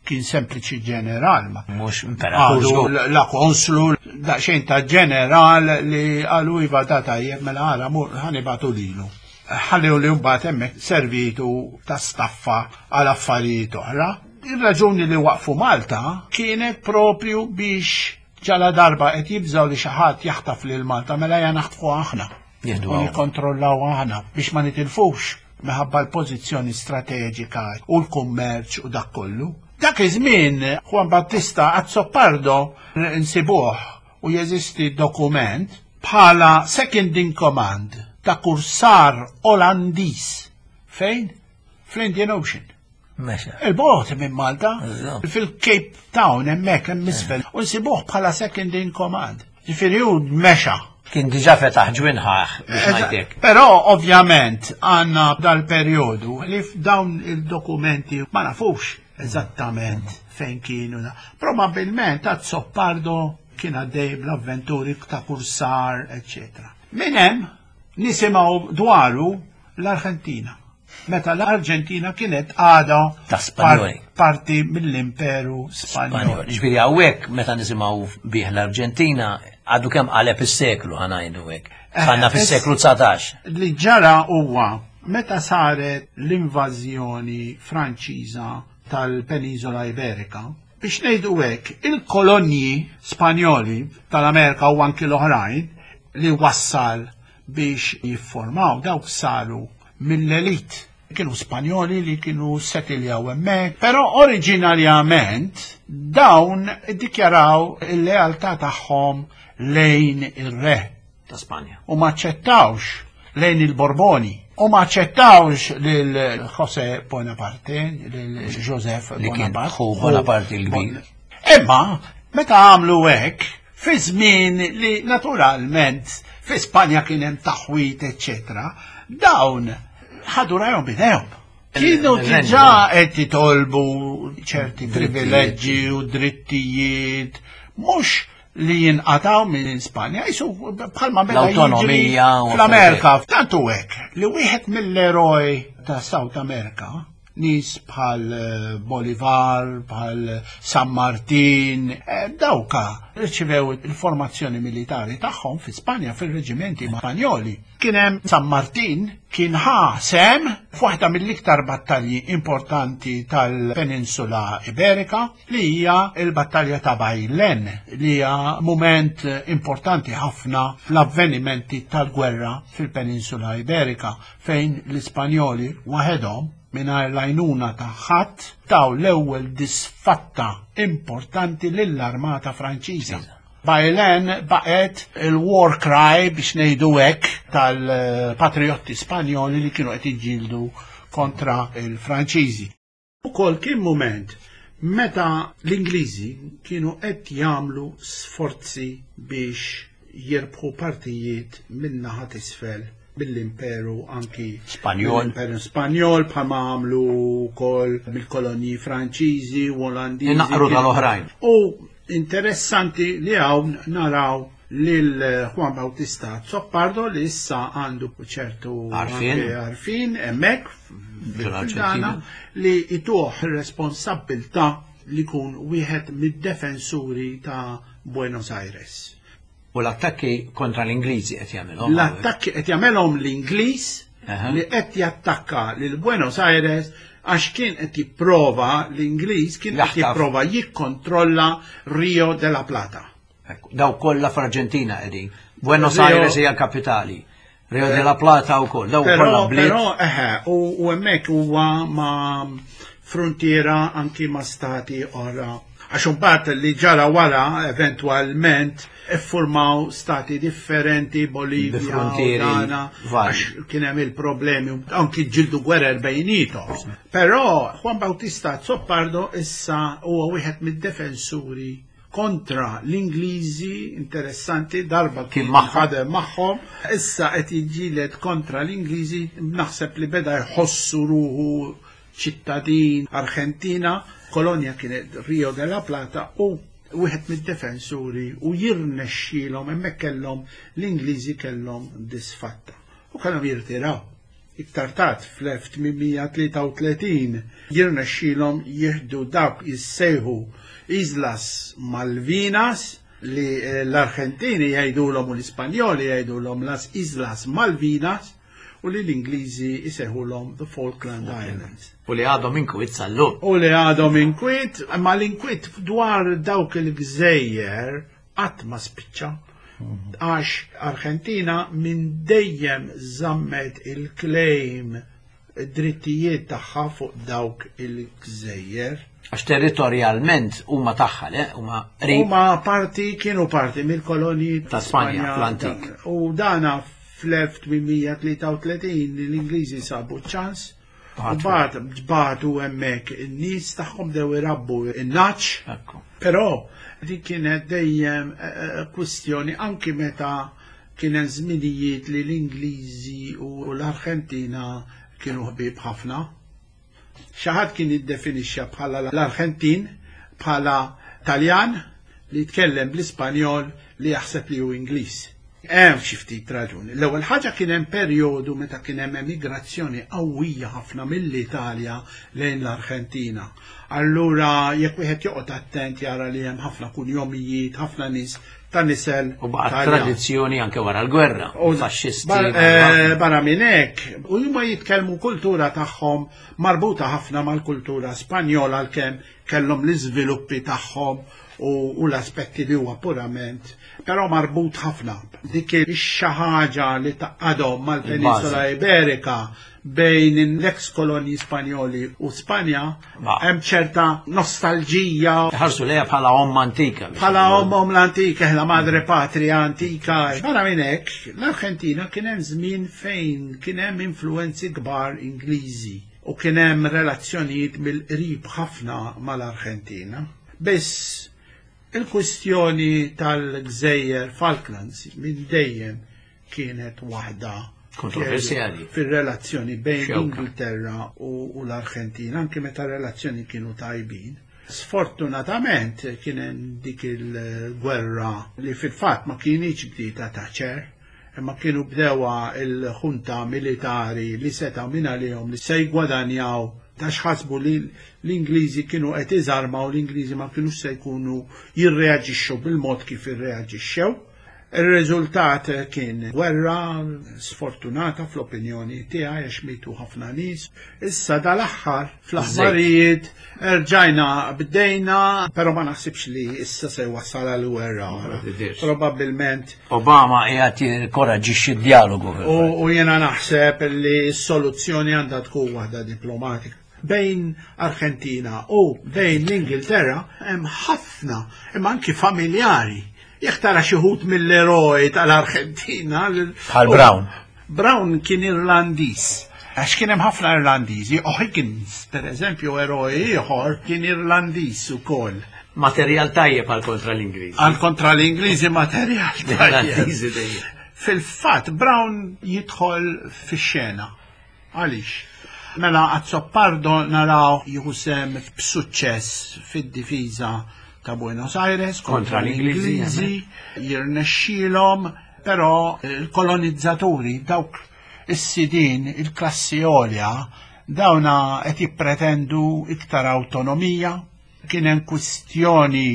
kien sempliċi ġeneral ma Mhux imperatur Għadu żgur. la konslu daqsxejn ta' ġeneral li għalu iva da tajjeb mela għara mur ħanibatu lilu. Ħallew li mbagħad hemmhekk servitu ta' staffa għal affarijiet oħra. Ir-raġuni li waqfu Malta kienet propju biex ġala darba qed jibżgħu li xi ħadd jaħtaf lil Malta mela ja naħtfu aħna. Jieħdu U hawn. nikkontrollaw aħna biex ma nitilfux minħabba l-pożizzjoni strateġika u l-kummerċ u dak kollu. Dak iż-żmien Juan Battista Azzopardo nsibuh u jeżisti dokument bħala second in command ta' kursar Olandiż. Fejn? Fl-Indian Ocean. Mexa. Il-bogħod minn Malta, Eżatt. fil-Cape Town hemmhekk hemm isfel, u nsibuh bħala second in command. Ġifieri hu mexa. Kien diġà fetaħ ġwinħaħ biex ngħidlek. Però ovvjament għandna dal-perjodu li f'dawn il-dokumenti ma nafux eżattament fejn kienu. Probabilment Azzopardo kien għaddej bl-avventuri ta' kursar, eccetera. Minn hemm nisimgħu dwaru l-Arġentina. Meta l-Arġentina kienet għada Ta' Spanjoli. parti mill-Imperu Spanjol. Spanjol. Ġifieri hawnhekk meta nisimgħu bih l-Arġentina għadu kemm qaleb is-seklu, ħa ngħidu hekk. Għandna fis-seklu dsatax. Li ġara huwa meta saret l-invażjoni Franċiża tal-Peniżola Iberika, biex ngħidu hekk, il-kolonji Spanjoli tal-Amerika u anki l-oħrajn li wassal biex jiffurmaw dawk saru mill-elit. Kienu Spanjoli li kienu settiljaw hemmhekk, però oriġinarjament dawn iddikjaraw il-lealtà tagħhom lejn ir-re Ta' Spanja. U ma aċċettawx lejn il-Borboni u ma aċċettawx lil José Bonaparte, lil Joseph Li kien Bonaparte. ħu Bonaparte il-kbir. Imma meta għamlu hekk, fi żmien li naturalment fi Spanja kien hemm taħwit, eċċetera, dawn ħadu rajhom b'idejhom. Kienu Il-renju. diġà qed jitolbu ċerti privileġġi u drittijiet, mhux li jinqataw minn Spanja, jisu bħalma beda jiġri L-awtonomija u fl-Amerika. Tantu hekk li wieħed mill-eroj ta' South America, nies bħal eh, Bolivar, bħal San Martin, eh, dawka rċivew il-formazzjoni militari tagħhom fi Spanja fil-reġimenti Spanjoli. Kien hemm San Martin kien ħa sehem f'waħda mill-iktar battalji importanti tal-Peninsula Iberika, li hija il-battalja ta' Bajlen, li hija moment importanti ħafna fl-avvenimenti tal-gwerra fil-Peninsula Iberika, fejn l-Ispanjoli waħedhom mingħajr l-għajnuna ta' ħadd taw l-ewwel disfatta importanti lill-armata Franċiża. Bajlen baqet il-war cry, biex ngħidu hekk, tal-patriotti Spanjoli li kienu qed jiġġieldu kontra il-Franċiżi. Ukoll kien moment meta l-Ingliżi kienu qed jagħmlu sforzi biex jirbħu partijiet min-naħa t'isfel mill-imperu anki Spanjol. mill-imperu Spanjol, bħalma għamlu wkoll mill-kolonji Franċiżi u Olandiżi. Inaqru tal-oħrajn. U interessanti li hawn naraw lil Juan Bautista Azzopardo li issa għandu ċertu Għarfien. anke għarfien hemmhekk Fil-Arġentina. li ituh responsabbiltà li jkun wieħed mid-defensuri ta' Buenos Aires. U l-attakki kontra l-Ingliżi qed jagħmilhom. L-attakki qed jagħmelhom l-Ingliż Aha. li qed jattakka lil Buenos Aires għax kien qed jipprova l-Ingliż kien qed Jaħtaf. jipprova jikkontrolla Rio de la Plata. Ekku, daw kollha fl-Arġentina qegħdin. Buenos Rio- Aires hija l-kapitali. Rio de la Plata wkoll. Daw kollha Però, bliet. però, eħe, u, u hemmhekk huwa ma' frontiera anki ma' stati oħra. Għax imbagħad li ġara wara eventwalment iffurmaw stati differenti, Bolivia, Bi frontieri u dana, vari. għax kien hemm il-problemi, anki ġildu gwerer bejnietom. Però Juan Bautista Azzopardo issa huwa wieħed mid-defensuri kontra l-Ingliżi, interessanti, darba Kien magħhom. ħadem magħhom, issa qed jiġġieled kontra l-Ingliżi, naħseb li beda jħossu ruħu ċittadin Argentina, kolonja kienet Rio de la Plata, u wieħed mid-defensuri u jirnexxielhom hemmhekk kellhom l-Ingliżi kellhom disfatta u kellhom jirtiraw. Iktar tard fl-elf tmien mija tlieta u tletin jirnexxielhom jieħdu dawk jissejħu Islas Malvinas, li eh, l-Argentini jgħidulhom u l-Ispanjoli jgħidulhom las Islas Malvinas u li l-Ingliżi jsejħulhom the Falkland Islands. U li għadhom inkwiet sal-lum. U li għadhom inkwiet, ma l-inkwiet dwar dawk il-gżejjer qatt ma spiċċa. Għax Argentina minn dejjem żammet il-claim id-drittijiet tagħha fuq dawk il-gżejjer. Għax territorjalment huma tagħha, le? Huma qrib. Huma parti, kienu parti mill-kolonji ta' Spanja, fl-antik. U dana fl-elf tmien mija tlieta u tletin l-Ingliżi sabu ċans. U Bagħtu. bagħat bagħtu hemmhekk in-nies tagħhom dew irabbu in-naċ. Ekku. Però dik kienet dejjem, eh, eh, kwistjoni anki meta kien hemm żminijiet li l-Ingliżi u l-Arġentina kienu ħbieb ħafna. Xi ħadd kien jiddefinixxa bħala l-Arġentin bħala Taljan li jitkellem bl-Ispanjol li jaħseb li hu Ingliż. Hemm xi ftit raġuni. L-ewwel ħaġa kien hemm perjodu meta kien hemm emigrazzjoni qawwija ħafna mill-Italja lejn l-Arġentina. Allura jekk wieħed joqgħod attent jara li hemm ħafna kunjomijiet, ħafna nies ta' nisel U baqgħet Taljan. tradizzjoni anke wara l-gwerra, U faxxisti, bar-, barra. eh, barra minn hekk, u huma jitkellmu kultura tagħhom marbuta ħafna mal-kultura Spanjola għalkemm kellhom l-iżviluppi tagħhom u, u l-aspetti li huwa purament, però marbut ħafna. Dik ix-xi ħaġa li taqadhom mal-Penisola Il-bażi. Iberika bejn l-ex kolonji Spanjoli u Spanja, Ma. hemm ċerta nostalġija. Ħarsu lejha bħala omm antika. biex Bħala ngħidu. omm, omm l-antika, la madre patria antika. Barra minn hekk, l-Arġentina kien hemm żmien fejn kien hemm influenzi kbar Ingliżi u kien hemm relazzjonijiet mill-qrib ħafna mal-Arġentina. Biss il-kwistjoni tal-Gżejjer Falklands minn dejjem kienet waħda kontroversjali fir-relazzjoni bejn Xewka. l-Ingilterra u, u l-Arġentina, anke meta relazzjoni kienu tajbin. Sfortunatament kien hemm dik il-gwerra li fil-fatt ma kienx bdieta Thatcher, imma kienu bdewa il-ħunta militari li seta' minn għalihom li se jgwadanjaw ta' xħasbu li l-Ingliżi kienu qed iżarmaw, l-Ingliżi ma kienux se jkunu jirreaġixxu bil-mod kif irreaġixxew. Ir-riżultat kien gwerra sfortunata fl-opinjoni tiegħi għax mitu ħafna nies. Issa dal-aħħar fl-aħbarijiet erġajna bdejna, però ma naħsibx li issa se jwassal għal gwerra oħra. Ma tidirx. Probabbilment. Obama qiegħed jinkoraġġixxi d-dialogu fil-fatt. U, u jiena naħseb li s-soluzzjoni għandha tkun waħda diplomatika. Bejn Argentina u bejn l-Ingilterra hemm ħafna, imma anki familjari. Jekk tara xi wħud mill-eroj tal-Argentina, l- Bħal Brown. Brown kien Irlandiż. Għax kien hemm ħafna Irlandiżi, O'Higgins, per eżempju, eroj ieħor kien Irlandiż ukoll. Materjal tajjeb għal kontra l-Ingliżi. Għal kontra l-Ingliżi materjal tajjeb. L-Irlandiżi dejjem. Fil-fatt, Brown jidħol fix-xena. Għaliex? Mela Azopardo naraw jieħu sehem b'suċċess fid-difiża ta' Buenos Aires kontra Kontra l-Ingliżi, l-Ingliżi, jirnexxielhom, però il-kolonizzaturi, dawk is-sidin, il-klassi għolja, dawna qed jippretendu iktar awtonomija. Kien hemm kwistjoni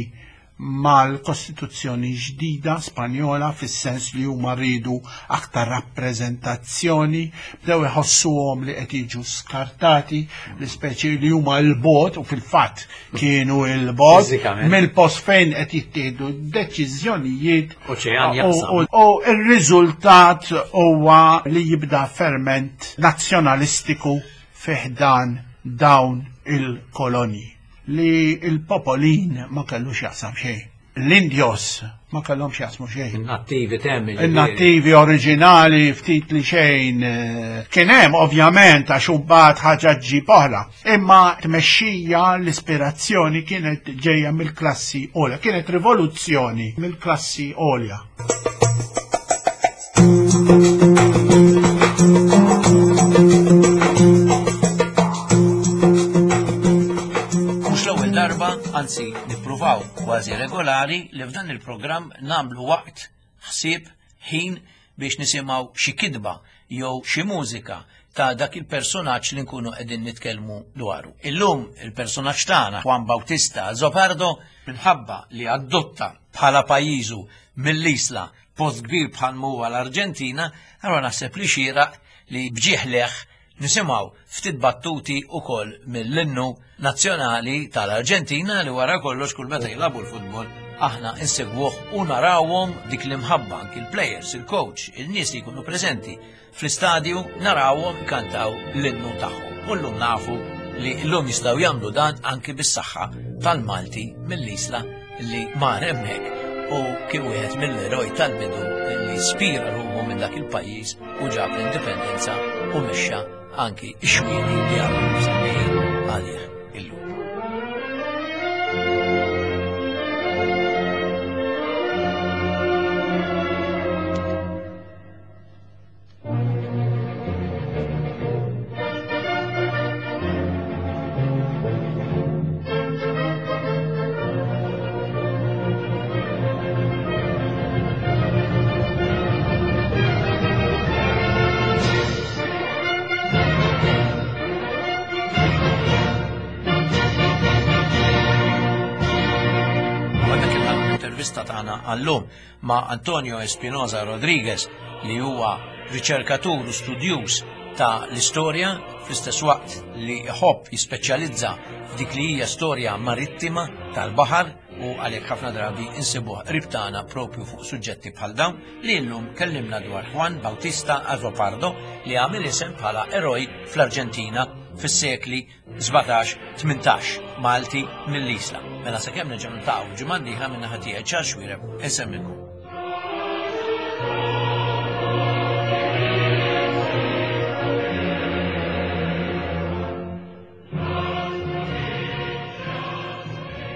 mal-Kostituzzjoni ġdida Spanjola fis-sens li huma rridu aktar rappreżentazzjoni, bdew iħossuhom li qed jiġu skartati, l-ispeċi li huma l-bot, u fil-fatt kienu l-bot Fiżikament. mill-post fejn qed jittieħdu deċiżjonijiet. Oċean U- jaqsam. u, u r-riżultat huwa li jibda ferment nazzjonalistiku fiħdan dawn il-kolonji li il-popolin ma kellux jaqsam xejn. L-Indios ma kellhomx jaqsmu xejn. Il-nattivi temmi. Il-nattivi oriġinali ftit li xejn, eh, kien hemm ovvjament għax imbagħad ħaġa ġġib oħra. Imma tmexxija l-ispirazzjoni kienet ġejja mill-klassi għolja, kienet rivoluzzjoni mill-klassi għolja. Mhux l-ewwel darba, anzi nippruvaw kważi regolari li f'dan il-programm nagħmlu waqt, ħsieb, ħin biex nisimgħu xi kitba jew xi mużika ta' dak il-personaġġ li nkunu qegħdin nitkellmu dwaru. Illum il-personaġġ tagħna Juan Bautista Azopardo, minħabba li adotta bħala pajjiżu mill-Isla post kbir bħal huwa l-Arġentina, allura naħseb li xieraq li bġieħ leħ nisimgħu ftit battuti ukoll mill-innu nazzjonali tal-Arġentina li wara kollox kull meta jilagħbu l-futbol aħna insegwuh u narawhom dik l-imħabba anki l-players, il-coach, il-nies li jkunu preżenti fl-istadju narawhom kantaw l-innu tagħhom. U llum nafu li llum jistgħu jagħmlu dan anki bis-saħħa tal-Malti mill-Isla li mar hemmhekk u kien wieħed mill-eroj tal-bidu li spira ruħu minn dak il-pajjiż u ġab l-indipendenza u mexxa anki x-xwieni li għadhom msemmijin għalih illum. L-intervista tagħna għallum ma' Antonio Espinosa Rodriguez li huwa riċerkatur u studjuż ta' l-istorja fl-istess waqt li jħobb jispeċjalizza f'dik li hija storja marittima tal-baħar u għalhekk ħafna drabi insibuh qrib tagħna propju fuq suġġetti bħal dawn li llum kellimna dwar Juan Bautista Azopardo li għamel isem bħala eroj fl-Arġentina fis-sekli sbatax tmintax, Malti mill-Isla. Mela sakemm nerġgħu niltaqgħu ġimgħa d-dieħla minn naħa tiegħi Charles Xuereb, insemmilkom.